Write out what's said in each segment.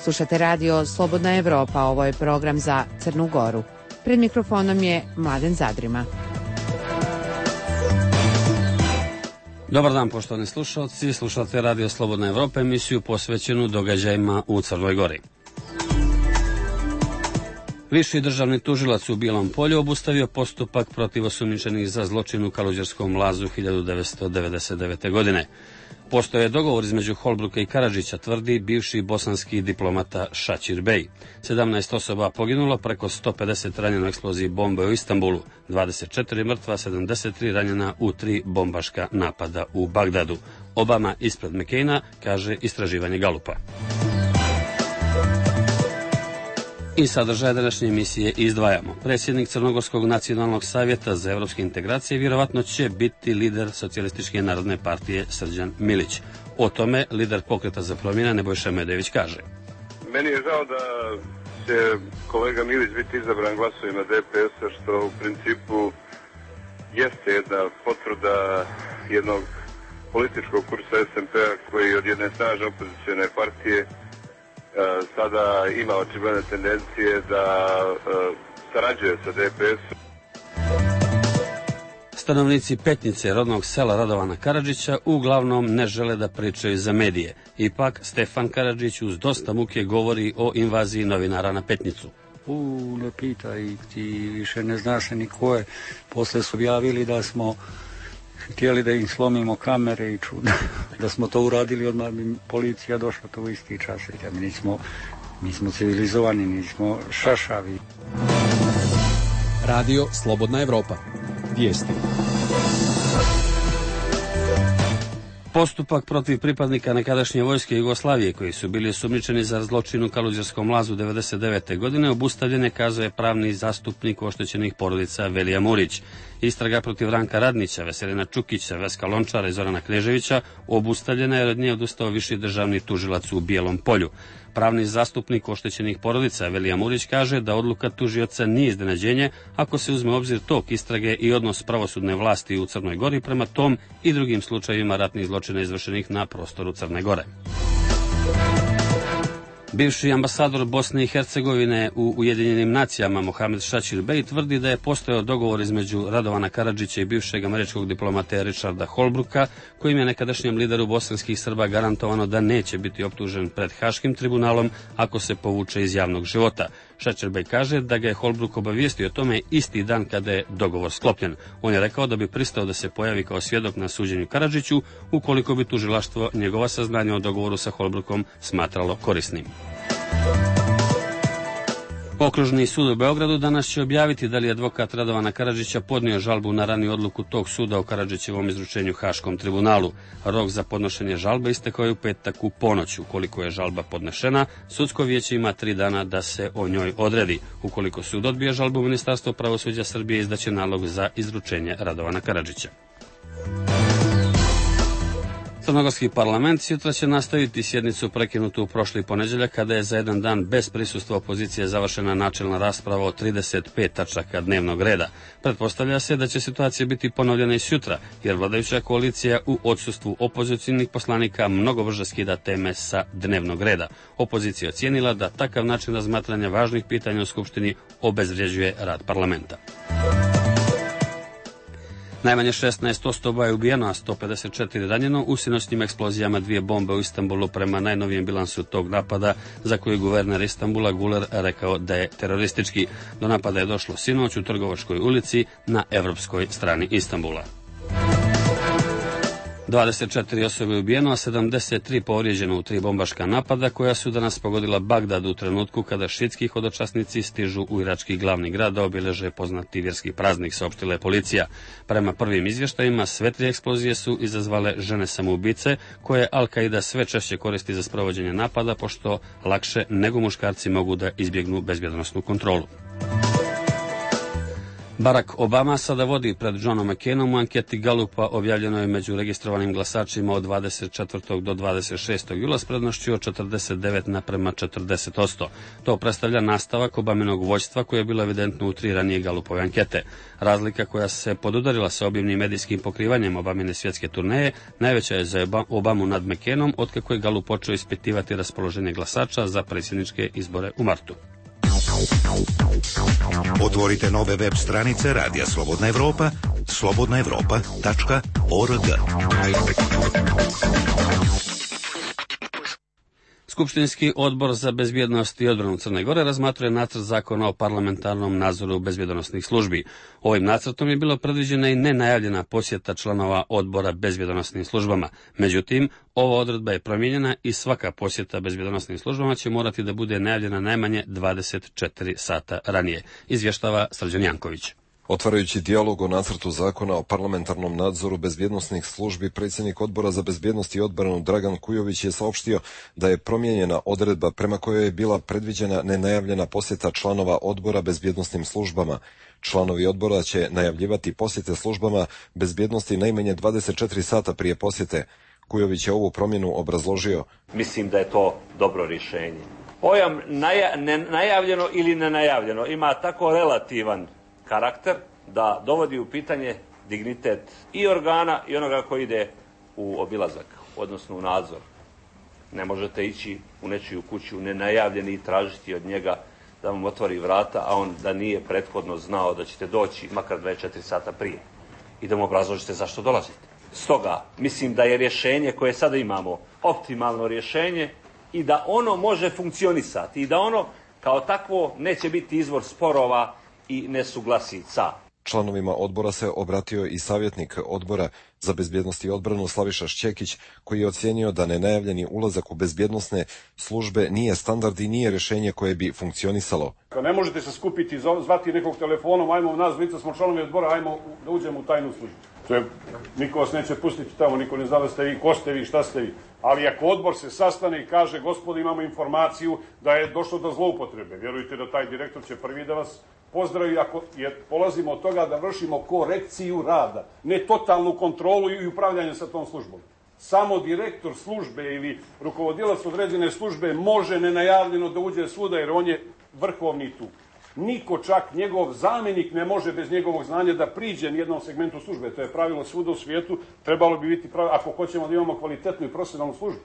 Slušate radio Slobodna Evropa, ovo je program za Crnu Goru. Pred mikrofonom je Mladen Zadrima. Dobar dan, poštovani slušalci. Slušate radio Slobodna Evropa, emisiju posvećenu događajima u Crnoj Gori. Viši državni tužilac u Bijelom Polju obustavio postupak protiv osumnjičenih za zločin u Kaluđerskom lazu 1999. godine. Postoje dogovor između Holbruka i Karadžića, tvrdi bivši bosanski diplomata Šačir Bej. 17 osoba poginulo, preko 150 ranjeno u eksploziji bombe u Istanbulu, 24 mrtva, 73 ranjena u 3 bombaška napada u Bagdadu. Obama ispred Mekejna, kaže istraživanje Galupa. I sadržaj današnje emisije izdvajamo. Predsjednik Crnogorskog nacionalnog savjeta za evropske integracije vjerovatno će biti lider Socijalističke narodne partije Srđan Milić. O tome lider Pokreta za promjene Nebojša Medević kaže. Meni je žao da će kolega Milić biti izabran glasovima DPS-a, što u principu jeste jedna potvrda jednog političkog kursa SMP-a koji od jedne snažne opozicijone partije sada ima očigledne tendencije da sarađuje sa DPS-om. Stanovnici Petnice, rodnog sela Radovana Karadžića, uglavnom ne žele da pričaju za medije. Ipak, Stefan Karadžić uz dosta muke govori o invaziji novinara na Petnicu. Ne pitaj, ti više ne znaš ni ko je. Posle su objavili da smo htjeli da im slomimo kamere i čuda. Da smo to uradili, odmah bi policija došla to u isti čas. Mi smo civilizovani, nismo šašavi. Radio Slobodna Evropa. Vijesti. Postupak protiv pripadnika nekadašnje vojske Jugoslavije koji su bili osumnjičeni za zločin u Kaluđerskom lazu 1999. godine obustavljen je, kazuje pravni zastupnik oštećenih porodica Velija Murić. Istraga protiv Ranka Radnića, Veselina Čukića, Veska Lončara i Zorana Kneževića obustavljena je, od nje odustao viši državni tužilac u Bijelom Polju. Pravni zastupnik oštećenih porodica Velija Murić kaže da odluka tužioca nije iznenađenje ako se uzme u obzir tok istrage i odnos pravosudne vlasti u Crnoj Gori prema tom i drugim slučajevima ratnih zločina izvršenih na prostoru Crne Gore. Bivši ambasador Bosne i Hercegovine u Ujedinjenim nacijama Mohamed Šačir Bej tvrdi da je postojao dogovor između Radovana Karadžića i bivšeg američkog diplomata Richarda Holbruka, kojim je nekadašnjem lideru bosanskih Srba garantovano da neće biti optužen pred Haškim tribunalom ako se povuče iz javnog života. Šačir Bej kaže da ga je Holbruk obavijestio o tome isti dan kada je dogovor sklopljen. On je rekao da bi pristao da se pojavi kao svjedok na suđenju Karadžiću ukoliko bi tužilaštvo njegova saznanja o dogovoru sa Holbrukom smatralo korisnim. Okružni sud u Beogradu danas će objaviti da li je advokat Radovana Karadžića podnio žalbu na raniju odluku tog suda o Karadžićevom izručenju Haškom tribunalu. Rok za podnošenje žalbe istekao je u petak u ponoć. Ukoliko je žalba podnešena, sudsko vijeće ima 3 dana da se o njoj odredi. Ukoliko sud odbije žalbu, Ministarstvo pravosuđa Srbije izdaće nalog za izručenje Radovana Karadžića. Crnogorski parlament sutra će nastaviti sjednicu prekinutu u prošli ponedjeljak kada je za jedan dan bez prisustva opozicije završena načelna rasprava o 35 tačaka dnevnog reda. Pretpostavlja se da će situacija biti ponovljena i sutra, jer vladajuća koalicija u odsustvu opozicionih poslanika mnogo brže skida teme sa dnevnog reda. Opozicija ocijenila da takav način razmatranja važnih pitanja u Skupštini obezvređuje rad parlamenta. Najmanje 16 osoba je ubijeno, a 154 ranjeno u sinoćnim eksplozijama 2 bombe u Istanbulu prema najnovijem bilansu tog napada, za koji je guverner Istanbula Guler rekao da je teroristički. Do napada je došlo sinoć u Trgovačkoj ulici na evropskoj strani Istanbula. 24 osobe je ubijeno, a 73 povrijeđeno u 3 bombaška napada koja su danas pogodila Bagdad u trenutku kada šitski hodočasnici stižu u irački glavni grad da obilježe poznati vjerski praznik, saopštila je policija. Prema prvim izvještajima, sve 3 eksplozije su izazvale žene samoubice koje Al-Qaida sve češće koristi za sprovođenje napada, pošto lakše nego muškarci mogu da izbjegnu bezbjednosnu kontrolu. Barack Obama sada vodi pred Johnom McCainom u anketi Gallupa objavljenoj među registrovanim glasačima od 24. do 26. jula s prednošću od 49:40%. To predstavlja nastavak Obaminog vođstva koje je bilo evidentno u 3 ranije Gallupove ankete. Razlika koja se podudarila sa obimnim medijskim pokrivanjem Obamine svjetske turneje najveća je za Obamu nad McCainom otkako je Gallup počeo ispitivati raspoloženje glasača za predsjedničke izbore u martu. Otvorite nove web stranice Radija Slobodna Evropa, slobodnaevropa.org. Skupštinski odbor za bezbjednost i odbranu Crne Gore razmatruje nacrt zakona o parlamentarnom nadzoru bezbjednosnih službi. Ovim nacrtom je bilo predviđena i nenajavljena posjeta članova odbora bezbjednosnim službama. Međutim, ova odredba je promijenjena i svaka posjeta bezbjednosnim službama će morati da bude najavljena najmanje 24 sata ranije, izvještava Srđan Janković. Otvarajući dijalog o nacrtu zakona o parlamentarnom nadzoru bezbjednosnih službi, predsjednik odbora za bezbjednost i odbranu Dragan Kujović je saopštio da je promijenjena odredba prema kojoj je bila predviđena nenajavljena posjeta članova odbora bezbjednosnim službama. Članovi odbora će najavljivati posjete službama bezbjednosti najmanje 24 sata prije posjete. Kujović je ovu promjenu obrazložio. Mislim da je to dobro rješenje. Pojam najavljeno ili nenajavljeno ima tako relativan karakter da dovodi u pitanje dignitet i organa i onoga koji ide u obilazak, odnosno u nadzor. Ne možete ići u nečiju kuću nenajavljeni i tražiti od njega da vam otvori vrata, a on da nije prethodno znao da ćete doći makar 24 sata prije i da mu obrazložite zašto dolazite. Stoga, mislim da je rješenje koje sada imamo optimalno rješenje i da ono može funkcionisati i da ono kao takvo neće biti izvor sporova i nesuglasica. Članovima odbora se obratio i savjetnik odbora za bezbjednost i odbranu Slaviša Šćekić, koji je ocijenio da nenajavljeni ulazak u bezbjednosne službe nije standard i nije rješenje koje bi funkcionisalo. Ne možete se skupiti, zvati nekog telefonom, ajmo nas dvojica smo članovi odbora, ajmo da uđemo u tajnu službu. Niko vas neće pustiti tamo, niko ne zna da ste vi, ko ste vi, šta ste vi. Ali ako odbor se sastane i kaže, gospodo, imamo informaciju da je došlo do zloupotrebe, vjerujte da taj direktor će prvi da vas pozdravi, jer polazimo od toga da vršimo korekciju rada, ne totalnu kontrolu i upravljanje sa tom službom. Samo direktor službe ili rukovodilac određene službe može nenajavljeno da uđe svuda jer on je vrhovni tu. Niko, čak njegov zamjenik, ne može bez njegovog znanja da priđe nijednom segmentu službe. To je pravilo svuda u svijetu, trebalo bi biti pravilo, ako hoćemo da imamo kvalitetnu i profesionalnu službu.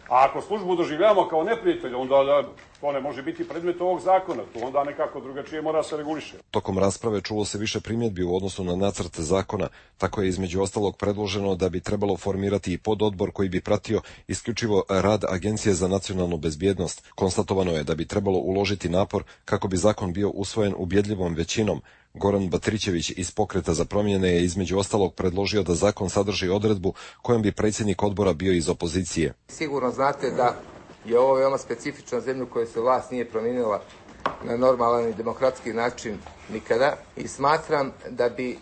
A ako službu doživljavamo kao neprijatelja, onda to ne može biti predmet ovog zakona. To onda nekako drugačije mora se reguliše. Tokom rasprave čulo se više primjedbi u odnosu na nacrt zakona. Tako je između ostalog predloženo da bi trebalo formirati i pododbor koji bi pratio isključivo rad Agencije za nacionalnu bezbjednost. Konstatovano je da bi trebalo uložiti napor kako bi zakon bio usvojen ubjedljivom većinom. Goran Batrićević iz Pokreta za promjene je između ostalog predložio da zakon sadrži odredbu kojom bi predsjednik odbora bio iz opozicije. Sigurno znate da je ovo veoma specifična zemlja u kojoj se vlast nije promijenila na normalan i demokratski način nikada i smatram da bi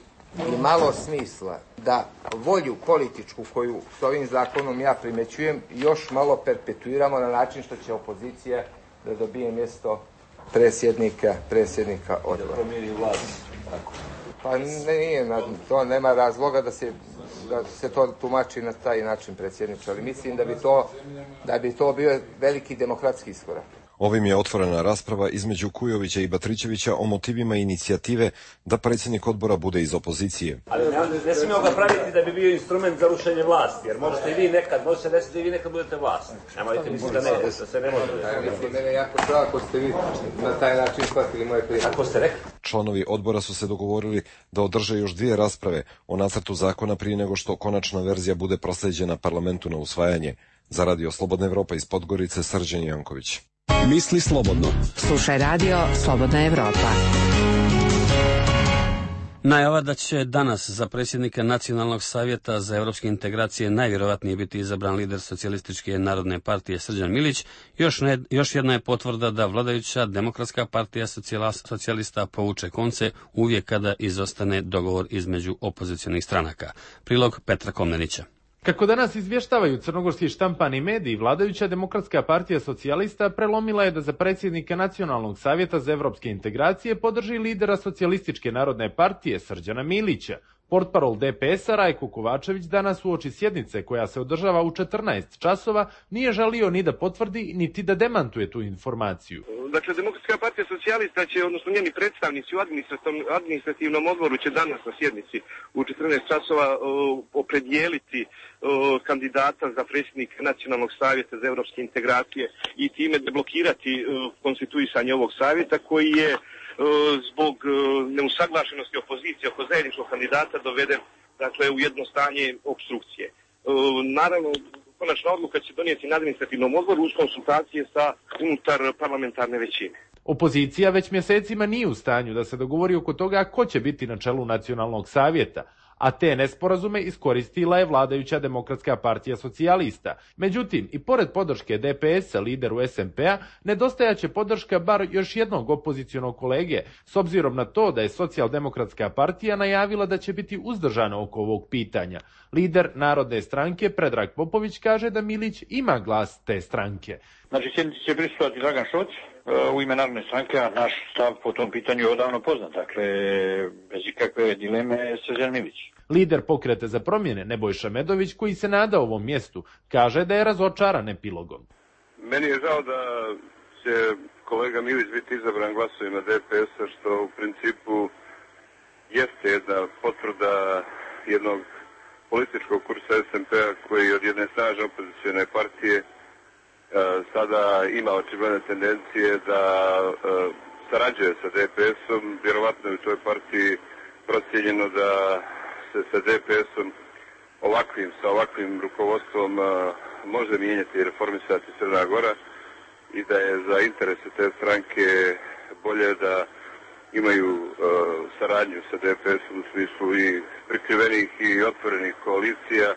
imalo smisla da volju političku koju s ovim zakonom ja primećujem još malo perpetuiramo na način što će opozicija da dobije mjesto predsjednika odbora. Da promijeni vlast. Tako. Pa nije, to nema razloga da se to tumači na taj način, predsjedniče, ali mislim da bi to bio veliki demokratski iskorak. Ovim je otvorena rasprava između Kujovića i Batrićevića o motivima inicijative da predsjednik odbora bude iz opozicije. Ali ne smijemo ga praviti da bi bio instrument za rušenje vlasti, jer možete i vi nekad, može se desiti da i vi nekad budete vlast. Nemojte misliti da ne, da se ne može. Mislim, mene jako žao ako ste vi na taj način shvatili moje prijedloge. Ako ste rekli. Članovi odbora su se dogovorili da održe još 2 rasprave o nacrtu zakona prije nego što konačna verzija bude proslijeđena parlamentu na usvajanje. Za Radio Slobodna Evropa iz Podgorice, Srđan Janković. Misli slobodno. Slušaj Radio Slobodna Evropa. Najava da će danas za predsjednika Nacionalnog savjeta za evropske integracije najvjerovatnije biti izabran lider Socijalističke narodne partije Srđan Milić, još jedna je potvrda da vladajuća Demokratska partija socijalista povuče konce uvijek kada izostane dogovor između opozicionih stranaka. Prilog Petra Komnenića. Kako danas izvještavaju crnogorski štampani mediji, vladajuća Demokratska partija socijalista prelomila je da za predsjednika Nacionalnog savjeta za evropske integracije podrži lidera Socijalističke narodne partije Srđana Milića. Portparol DPS-a Rajko Kovačević danas uoči sjednice koja se održava u 14 časova nije želio ni da potvrdi niti da demantuje tu informaciju. Dakle, Demokratska partija socijalista će, odnosno njeni predstavnici u administrativnom odboru će danas na sjednici u 14 časova opredijeliti kandidata za predsjednika Nacionalnog savjeta za evropske integracije i time deblokirati konstituisanje ovog savjeta koji je zbog neusaglašenosti opozicije oko zajedničkog kandidata doveden, dakle, u jedno stanje opstrukcije. Naravno, konačna odluka će donijeti na administrativnom odboru uz konsultacije sa unutar parlamentarne većine. Opozicija već mjesecima nije u stanju da se dogovori oko toga ko će biti na čelu Nacionalnog savjeta, a te nesporazume iskoristila je vladajuća Demokratska partija socijalista. Međutim, i pored podrške DPS-a lideru SMP-a, nedostajaće podrška bar još jednog opozicionog kolege, s obzirom na to da je Socijaldemokratska partija najavila da će biti uzdržana oko ovog pitanja. Lider Narodne stranke Predrag Popović kaže da Milić ima glas te stranke. Znači, sjednici će prisustvovati Dragan Šoc u ime Narodne stranke, a naš stav po tom pitanju je odavno poznat. Dakle, bez ikakve dileme Srđan Milić. Lider Pokreta za promjene Nebojša Medović, koji se nada ovom mjestu, kaže da je razočaran epilogom. Meni je žao da će kolega Milić biti izabran glasovima DPS-a, što u principu jeste jedna potvrda jednog političkog kursa SMP-a koji od jedne snažne opozicione partije sada ima očigledne tendencije da sarađuje sa DPS-om. Vjerovatno je u toj partiji procijenjeno da se sa DPS-om sa ovakvim rukovodstvom može mijenjati i reformisati Crna Gora i da je za interese te stranke bolje da imaju saradnju sa DPS-om u smislu i prikrivenih i otvorenih koalicija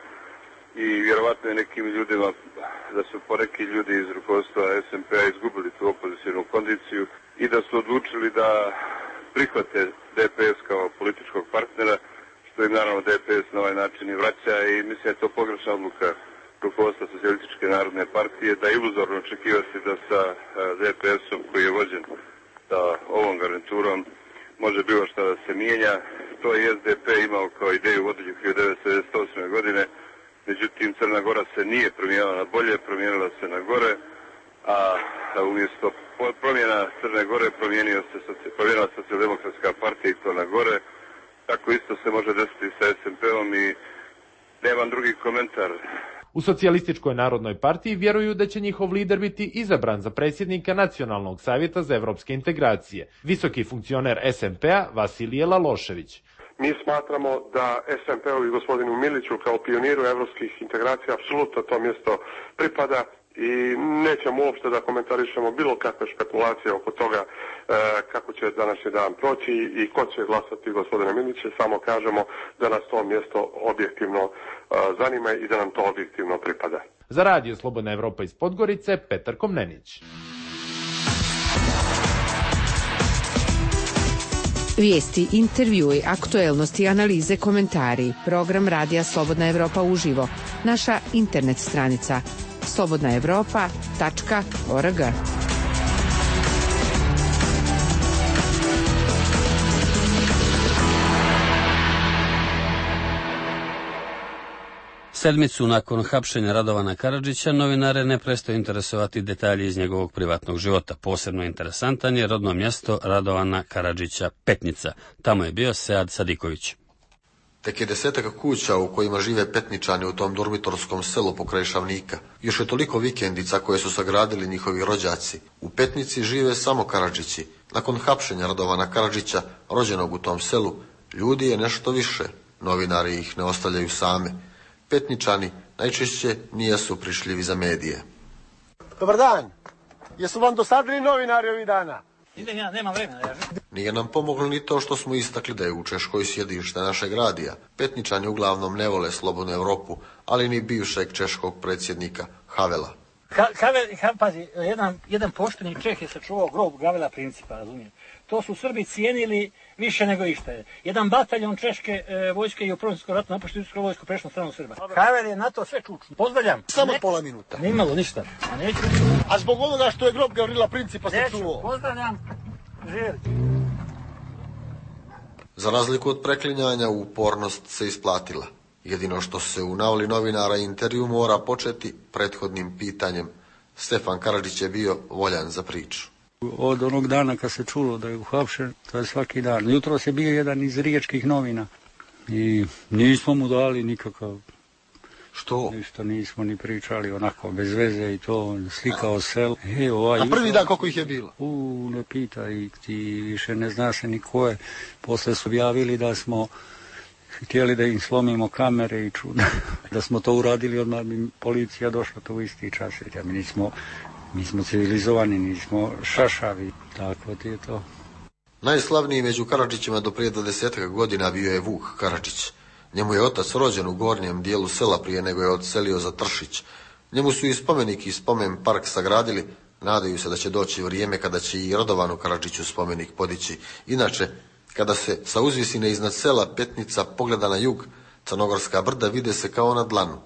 i vjerovatno je nekim ljudima, da su poneki ljudi iz rukovodstva SMP-a izgubili tu opozicijnu kondiciju i da su odlučili da prihvate DPS kao političkog partnera, što im naravno DPS na ovaj način i vraća i mislim da je to pogrešna odluka rukovodstva Socijalističke narodne partije, da je iluzorno očekivati da sa DPS-om koji je vođen sa ovom garniturom može bilo šta da se mijenja. To je SDP imao kao ideju vodilju 1998. godine, međutim Crna Gora se nije promijenila na bolje, promijenila se na gore, a umjesto promjena Crne Gore promijenila Socijaldemokratska partija i to na gore. Tako isto se može desiti sa SMP-om i nemam drugi komentar. U Socijalističkoj narodnoj partiji vjeruju da će njihov lider biti izabran za predsjednika Nacionalnog savjeta za evropske integracije, visoki funkcioner SMP-a Vasilije Lalošević. Mi smatramo da SMP-u i gospodinu Miliću kao pioniru evropskih integracija apsolutno to mjesto pripada i nećemo uopšte da komentarišemo bilo kakve špekulacije oko toga kako će današnji dan proći i ko će glasati gospodina Milića. Samo kažemo da nas to mjesto objektivno zanima i da nam to objektivno pripada. Za Radio Slobodna Evropa iz Podgorice, Petar Komnenić. Vijesti, intervjui, aktuelnosti, analize, komentari. Program Radija Slobodna Evropa uživo. Naša internet stranica slobodnaevropa.org. Sedmicu nakon hapšenja Radovana Karadžića, novinare ne prestaju interesovati detalji iz njegovog privatnog života. Posebno interesantan je rodno mjesto Radovana Karadžića, Petnica. Tamo je bio Sead Sadiković. Tek je 10 kuća u kojima žive Petničani u tom dormitorskom selu pokraj Šavnika. Još je toliko vikendica koje su sagradili njihovi rođaci. U Petnici žive samo Karadžići. Nakon hapšenja Radovana Karadžića, rođenog u tom selu, ljudi je nešto više. Novinari ih ne ostavljaju same. Petničani najčešće nijesu prišljivi za medije. Dobar dan. Jesu vam dosadili novinari ovih dana? Idem ja, nemam vremena. Nije nam pomoglo ni to što smo istakli da je u Češkoj sjedište našeg radija. Petničani uglavnom ne vole Slobodnu Evropu, ali ni bivšeg češkog predsjednika Havela. Pazi, jedan pošteni Čeh je sačuvao grob Gavela Principa, razumijem. To su Srbi cijenili više nego išta je. Jedan bataljon češke vojske i u Prvom svjetskom ratu napuštio Srpsku vojsku, prešlo na stranu Srba. Havel je na to sve čučno. Pozdravljam. Samo pola minuta. Nimalo ništa. A zbog onoga što je grob Gavrila Principa sačuvao. Pozdravljam. Živjeli. Za razliku od preklinjanja, upornost se isplatila. Jedino što se u navali novinara intervju mora početi prethodnim pitanjem. Stefan Karadžić je bio voljan za priču. Od onog dana kad se čulo da je uhapšen, to je svaki dan. Jutros je bio jedan iz riječkih novina i nismo mu dali nikakav... Što? Ništa nismo ni pričali, onako, bez veze i to, slikao selo. A prvi dan koliko ih je bilo? Ne pitaj, ti više ne zna se ni ko je. Posle su objavili da smo htjeli da im slomimo kamere i da smo to uradili, odmah bi policija došla to u isti čas. Mi smo civilizovani, nismo šašavi, tako ti je to. Najslavniji među Karadžićima do prije 20 godina bio je Vuk Karadžić. Njemu je otac rođen u gornjem dijelu sela prije nego je odselio za Tršić. Njemu su i spomenik i spomen park sagradili, nadaju se da će doći vrijeme kada će i Radovanu Karadžiću spomenik podići. Inače, kada se sa uzvisine iznad sela Petnica pogleda na jug, Crnogorska brda vide se kao na dlanu.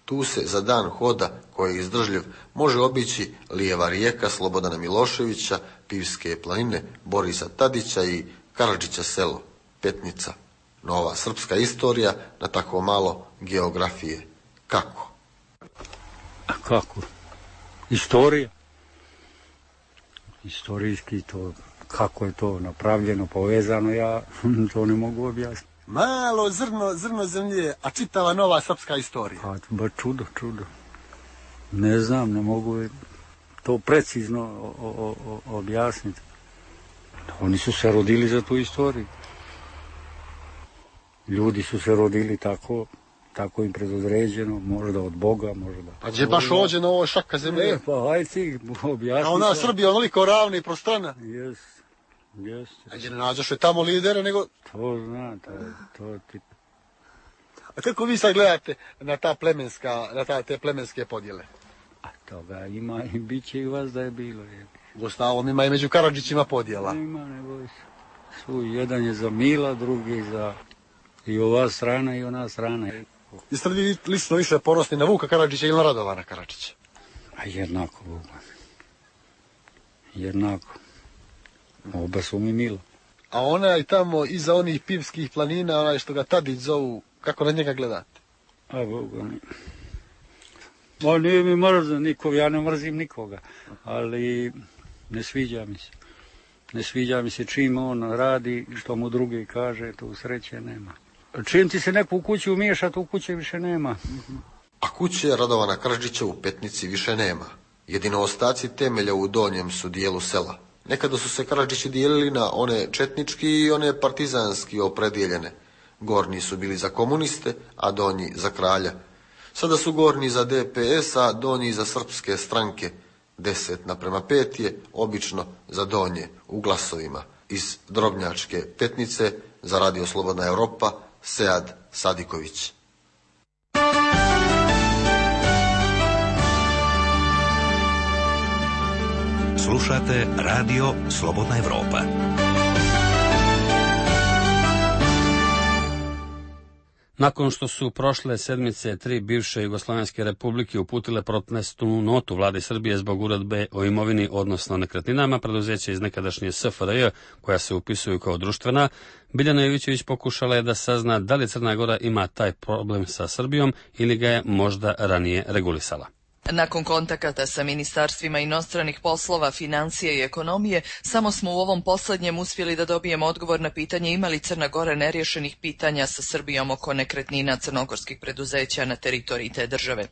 Tu se za dan hoda, koji je izdržljiv, može obići Lijeva rijeka Slobodana Miloševića, Pivske planine, Borisa Tadića i Karadžića selo, Petnica. Nova srpska istorija na tako malo geografije. Kako? A kako? Istorija. Istorijski to, kako je to napravljeno, povezano, ja to ne mogu objasniti. Malo zrno zemlje, a čitava nova srpska istorija. Ba čudo. Ne znam, ne mogu to precizno objasniti. Oni su se rodili za tu istoriju. Ljudi su se rodili tako im predodređeno, možda od Boga, možda... Pa gdje baš ođe na ovoj šaka zemlje? Pa hajde ti objasniti. A ona Srbija onoliko ravna i prostrana? Jeste. A gdje ne nađeš tamo lidera, nego... To zna, to ti... A kako vi sad gledate na te plemenske podjele? A toga ima i bit će i vas da je bilo. Gostavom ima i među Karadžićima podjela. Ima, ne boj se. Su, jedan je za Mila, drugi za... I ova strana i ona strana. Jeste li lično više ponosni na Vuka Karadžića ili na Radovana Karadžića? A jednako, Vuka. Jednako. Oba su mi milo. A onaj tamo iza onih Pivskih planina, onaj što ga Tadić zovu, kako na njega gledate? A Boga mi. Ma nije mi mrzan nikog, ja ne mrzim nikoga. Ali ne sviđa mi se. Ne sviđa mi se čim on radi, što mu drugi kaže, tu sreće nema. Čim ti se neko u kući umiješa, tu kuće više nema. A kuće Radovana Karadžića u Petnici više nema. Jedino ostaci temelja u donjem su dijelu sela. Nekada su se Karadžići dijelili na one četnički i one partizanski opredijeljene. Gornji su bili za komuniste, a donji za kralja. Sada su gornji za DPS, a donji za srpske stranke. 10:5 je obično za donje u glasovima. Iz Drobnjačke Petnice za Radio Slobodna Evropa, Sead Sadiković. Slušate Radio Slobodna Evropa. Nakon što su prošle sedmice 3 bivše Jugoslovenske republike uputile protestnu notu vlade Srbije zbog uredbe o imovini, odnosno nekretninama, preduzeća iz nekadašnje SFRJ, koja se upisuju kao društvena, Biljana Jovićević pokušala je da sazna da li Crna Gora ima taj problem sa Srbijom ili ga je možda ranije regulisala. Nakon kontakata sa ministarstvima inostranih poslova, financije i ekonomije, samo smo u ovom poslednjem uspjeli da dobijemo odgovor na pitanje ima li Crna Gora neriješenih pitanja sa Srbijom oko nekretnina crnogorskih preduzeća na teritoriji te države.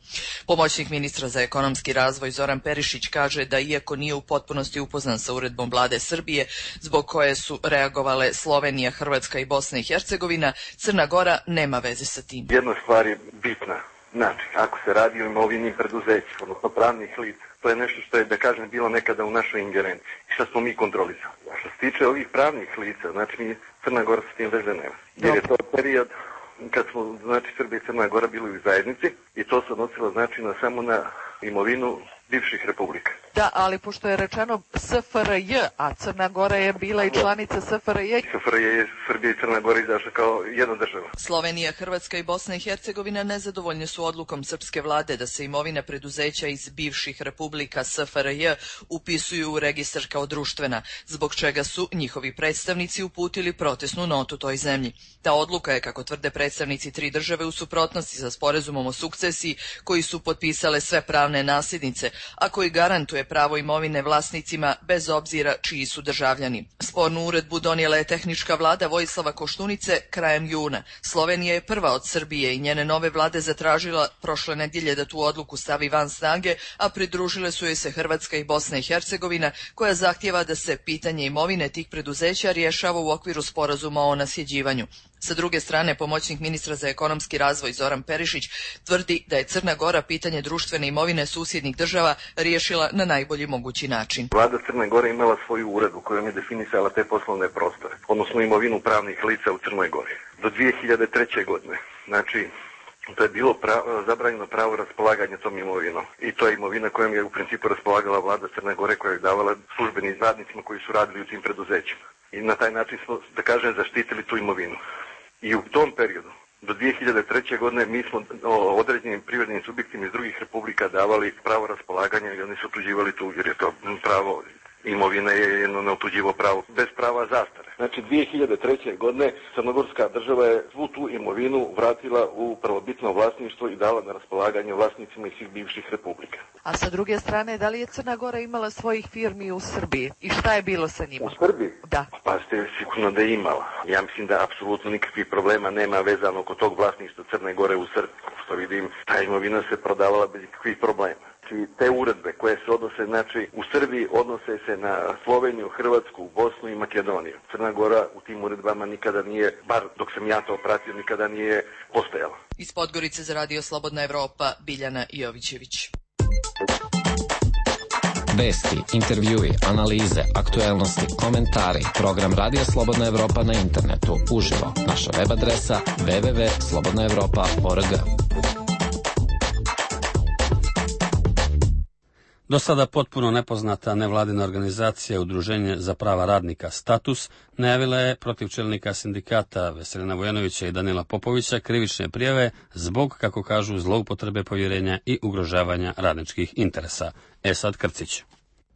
Pomoćnik ministra za ekonomski razvoj Zoran Perišić kaže da iako nije u potpunosti upoznan sa uredbom vlade Srbije, zbog koje su reagovale Slovenija, Hrvatska i Bosna i Hercegovina, Crna Gora nema veze sa tim. Jedna stvar je bitna. Znači, ako se radi o imovini preduzeća, odnosno pravnih lica, to je nešto što je, da kažem, bilo nekada u našoj ingerenciji i što smo mi kontrolisali. A što se tiče ovih pravnih lica, znači mi Crna Gora s tim veze nema. Jer je to period kad smo, znači, Srbija i Crna Gora bili u zajednici i to se odnosilo, znači, samo na imovinu bivših republika. Da, ali pošto je rečeno SFRJ, a Crna Gora je bila i članica SFRJ. SFRJ je Srbija i Crna Gora izašla kao jedna država. Slovenija, Hrvatska i Bosna i Hercegovina nezadovoljne su odlukom srpske vlade da se imovina preduzeća iz bivših republika SFRJ upisuju u registar kao društvena, zbog čega su njihovi predstavnici uputili protestnu notu toj zemlji. Ta odluka je, kako tvrde predstavnici tri države, u suprotnosti sa sporazumom o sukcesiji koji su potpisale sve pravne nasljednice, a koji garantuje pravo imovine vlasnicima bez obzira čiji su državljani. Spornu uredbu donijela je tehnička vlada Vojislava Koštunice krajem juna. Slovenija je prva od Srbije i njene nove vlade zatražila prošle nedjelje da tu odluku stavi van snage, a pridružile su joj se Hrvatska i Bosna i Hercegovina, koja zahtijeva da se pitanje imovine tih preduzeća rješava u okviru sporazuma o nasljeđivanju. Sa druge strane, pomoćnik ministra za ekonomski razvoj Zoran Perišić tvrdi da je Crna Gora pitanje društvene imovine susjednih država riješila na najbolji mogući način. Vlada Crne Gore imala svoju uredbu kojom je definisala te poslovne prostore, odnosno imovinu pravnih lica u Crnoj Gori. Do 2003. godine, znači, to je bilo zabranjeno pravo raspolaganja tom imovinom. I to je imovina kojom je u principu raspolagala vlada Crne Gore, koja je davala službenim radnicima koji su radili u tim preduzećima. I na taj način smo, da kažem, zaštitili tu imovinu. I u tom periodu, do 2003. godine, mi smo određenim privrednim subjektima iz drugih republika davali pravo raspolaganja i oni su otuđivali tu, jer je to pravo imovine je jedno neotuđivo pravo, bez prava zastare. Znači, 2003. godine Crnogorska država je svu tu imovinu vratila u prvobitno vlasništvo i dala na raspolaganje vlasnicima iz svih bivših republika. A sa druge strane, da li je Crna Gora imala svojih firmi u Srbiji? I šta je bilo sa njima? U Srbiji? Da. Pa ste sigurno da je imala. Ja mislim da apsolutno nikakvih problema nema vezano oko tog vlasništva Crne Gore u Srbiji. Što vidim, ta imovina se prodavala bez nikakvih problema. Te uredbe koje se odnose, znači, u Srbiji odnose se na Sloveniju, Hrvatsku, Bosnu i Makedoniju. Crna Gora u tim uredbama nikada nije, bar dok sam ja to pratio, nikada nije postojala. Iz Podgorice za Radio Slobodna Evropa, Biljana Jovićević. Vesti, intervjui, analize, aktuelnosti, komentari, program Radio Slobodna Evropa na internetu, uživo. Naša web adresa www.slobodnaevropa.org. Do sada potpuno nepoznata nevladina organizacija Udruženje za prava radnika Status najavila je protiv čelnika sindikata Veselina Vujanovića i Danila Popovića krivične prijave zbog, kako kažu, zloupotrebe povjerenja i ugrožavanja radničkih interesa. Esad Krcić.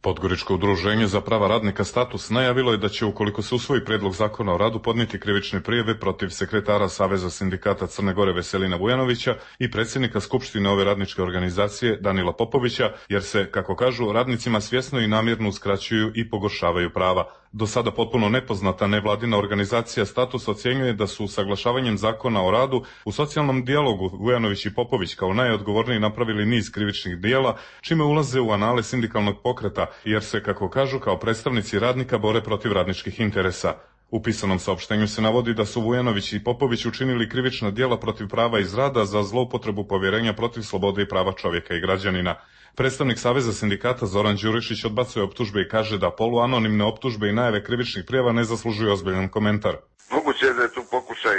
Podgoričko udruženje za prava radnika Status najavilo je da će, ukoliko se usvoji predlog zakona o radu, podnijeti krivične prijave protiv sekretara Saveza sindikata Crne Gore Veselina Vujanovića i predsjednika Skupštine ove radničke organizacije Danila Popovića, jer se, kako kažu, radnicima svjesno i namjerno uskraćuju i pogoršavaju prava. Do sada potpuno nepoznata nevladina organizacija Status ocjenjuje da su usaglašavanjem zakona o radu u socijalnom dijalogu Vujanović i Popović kao najodgovorniji napravili niz krivičnih dijela, čime ulaze u anale sindikalnog pokreta, jer se, kako kažu, kao predstavnici radnika bore protiv radničkih interesa. U pisanom saopštenju se navodi da su Vujanović i Popović učinili krivična djela protiv prava iz rada za zloupotrebu povjerenja protiv slobode i prava čovjeka i građanina. Predstavnik Saveza sindikata Zoran Đurišić odbacuje optužbe i kaže da poluanonimne optužbe i najave krivičnih prijava ne zaslužuju ozbiljan komentar. Moguće je da je tu pokušaj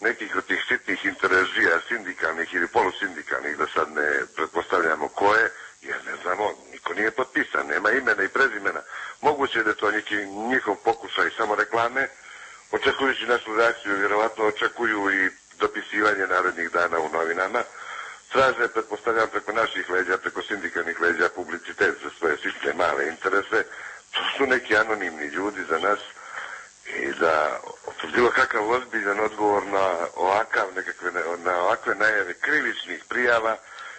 nekih od tih sitnih interesija sindikalnih ili polusindikalnih, da sad ne pretpostavljamo koje, jer ne znamo, niko nije potpisan, nema imena i prezimena. Moguće je da je to njihov pokušaj samo reklame, očekujući našu reakciju, vjerovatno očekuju i dopisivanje narednih dana u novinama. Traže, pretpostavljam, preko naših leđa, preko sindikalnih leđa publicitet za svoje sitne male interese. To su neki anonimni ljudi za nas i da bilo kakav ozbiljan odgovor na ovakve najave krivičnih prijava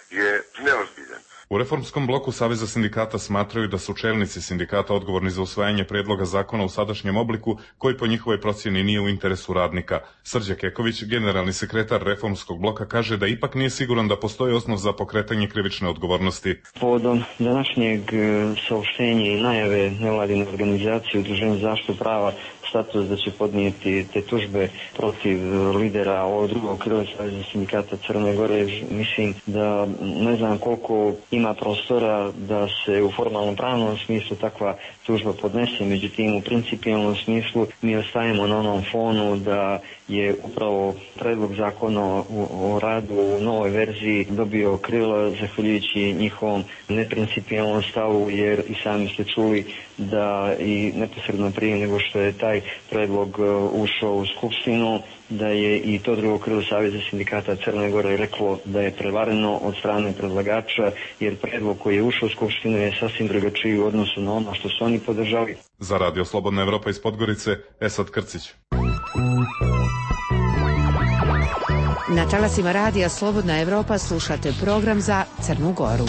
je neozbiljan. U reformskom bloku Saveza sindikata smatraju da su čelnici sindikata odgovorni za usvajanje predloga zakona u sadašnjem obliku, koji po njihovoj procjeni nije u interesu radnika. Srđan Keković, generalni sekretar reformskog bloka, kaže da ipak nije siguran da postoji osnov za pokretanje krivične odgovornosti. Povodom današnjeg saopštenja i najave nevladine organizacije Udruženja za zaštitu prava status da će podnijeti te tužbe protiv lidera ovog drugog krila Saveza sindikata Crne Gore. Mislim da ne znam koliko ima prostora da se u formalnom pravnom smislu takva tužba podnese, međutim u principijalnom smislu mi ostajemo na onom fonu da je upravo predlog zakona o radu u novoj verziji dobio krila zahvaljujući njihovom neprincipijalnom stavu, jer i sami ste čuli da i neposredno prije nego što je taj predlog ušao u Skupštinu, da je i to drugo krilo Saveza sindikata Crne Gore reklo da je prevareno od strane predlagača, jer predlog koji je ušao u Skupštinu je sasvim drugačiji u odnosu na ono što su oni podržali. Za Radio Slobodna Evropa iz Podgorice, Esad Krcić. Na talasima Radija Slobodna Evropa slušate program za Crnu Goru.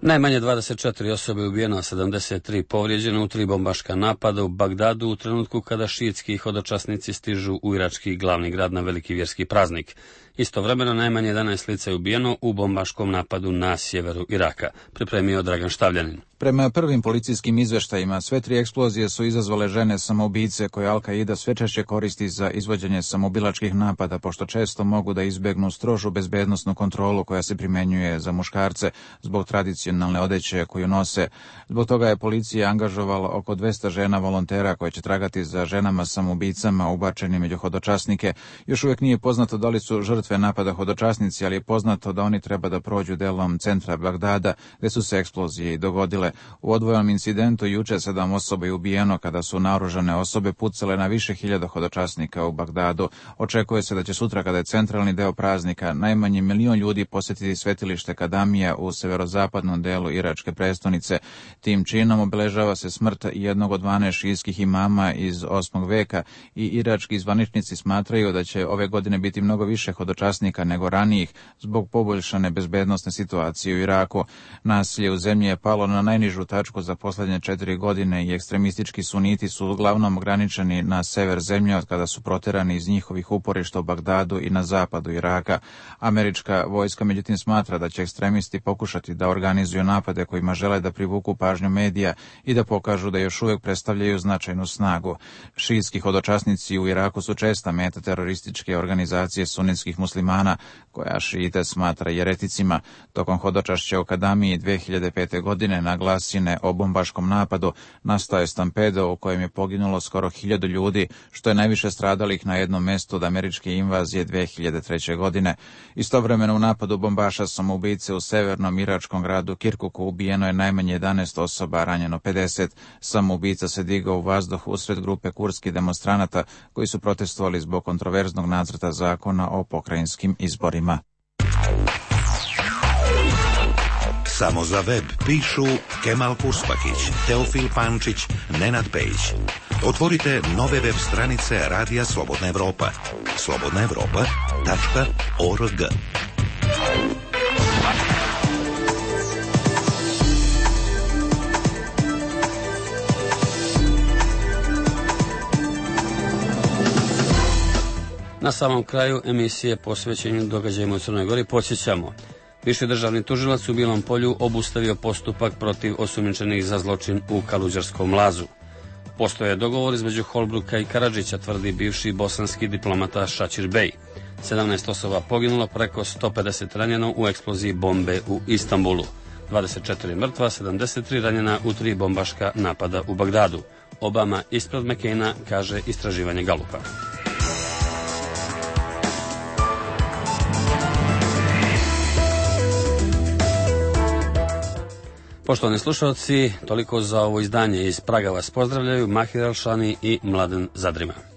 Najmanje 24 osobe ubijeno, a 73 povrijeđeno u 3 bombaška napada u Bagdadu u trenutku kada šiitski hodočasnici stižu u irački glavni grad na veliki vjerski praznik. Istovremeno najmanje 11 lica je ubijeno u bombaškom napadu na sjeveru Iraka, pripremio Dragan Štavljanin. Prema prvim policijskim izveštajima, sve 3 eksplozije su izazvale žene samoubice koje Al-Qaida sve češće koristi za izvođenje samoubilačkih napada, pošto često mogu da izbegnu strožu bezbednosnu kontrolu koja se primenjuje za muškarce zbog tradicionalne odeće koju nose. Zbog toga je policija angažovala oko 200 žena volontera koje će tragati za ženama samoubicama ubačeni među hodočasnike. Još uvijek nije poznato da li su žrtve napada hodočasnici, ali je poznato da oni treba da prođu delom centra Bagdada, gde su se eksplozije i dogodile. U odvojenom incidentu juče 7 osoba je ubijeno kada su naoružane osobe pucale na više hiljada hodočasnika u Bagdadu. Očekuje se da će sutra, kada je centralni deo praznika, najmanje 1 milion ljudi posjetiti svetilište Kadamija u severozapadnom delu iračke prestonice. Tim činom obeležava se smrt jednog od 12 šijskih imama iz 8. veka i irački zvaničnici smatraju da će ove godine biti mnogo više hodočasnika nego ranijih zbog poboljšane bezbednosne situacije u Iraku. Nasilje u zemlji je palo na najnižu tačku za posljednje 4 godine i ekstremistički suniti su uglavnom ograničeni na sever zemlje od kada su proterani iz njihovih uporišta u Bagdadu i na zapadu Iraka. Američka vojska međutim smatra da će ekstremisti pokušati da organizuju napade kojima žele da privuku pažnju medija i da pokažu da još uvijek predstavljaju značajnu snagu. Šijski hodočasnici u Iraku su česta meta terorističke organizacije sunitskih muslimana, koja šijite smatra jereticima. Tokom hodočašća u Kadamiji 2005. godine na glasine o bombaškom napadu nastao je stampedo u kojem je poginulo skoro 1000 ljudi, što je najviše stradalih na jednom mjestu od američke invazije 2003. godine. Istovremeno u napadu bombaša samoubice u severnom iračkom gradu Kirkuku ubijeno je najmanje 11 osoba, ranjeno 50. Samoubica se digao u vazduh usred grupe kurdskih demonstranata koji su protestovali zbog kontroverznog nacrta zakona o pokrajinskim izborima. Samo za web pišu Kemal Kuspakić, Teofil Pančić, Nenad Pejić. Otvorite nove web stranice Radija Slobodna Evropa. slobodnaevropa.org. Na samom kraju emisije posvećenju događajima u Crnoj Gori podsjećamo. Viši državni tužilac u Bilom Polju obustavio postupak protiv osumnjičenih za zločin u Kaluđerskom lazu. Postoje dogovor između Holbruka i Karadžića, tvrdi bivši bosanski diplomata Šačir Bey. 17 osoba poginulo, preko 150 ranjeno u eksploziji bombe u Istanbulu. 24 mrtva, 73 ranjena u 3 bombaška napada u Bagdadu. Obama ispred Mekejna, kaže istraživanje Galupa. Poštovani slušalci, toliko za ovo izdanje. Iz Praga vas pozdravljaju Mahir Alšani i Mladen Zadrima.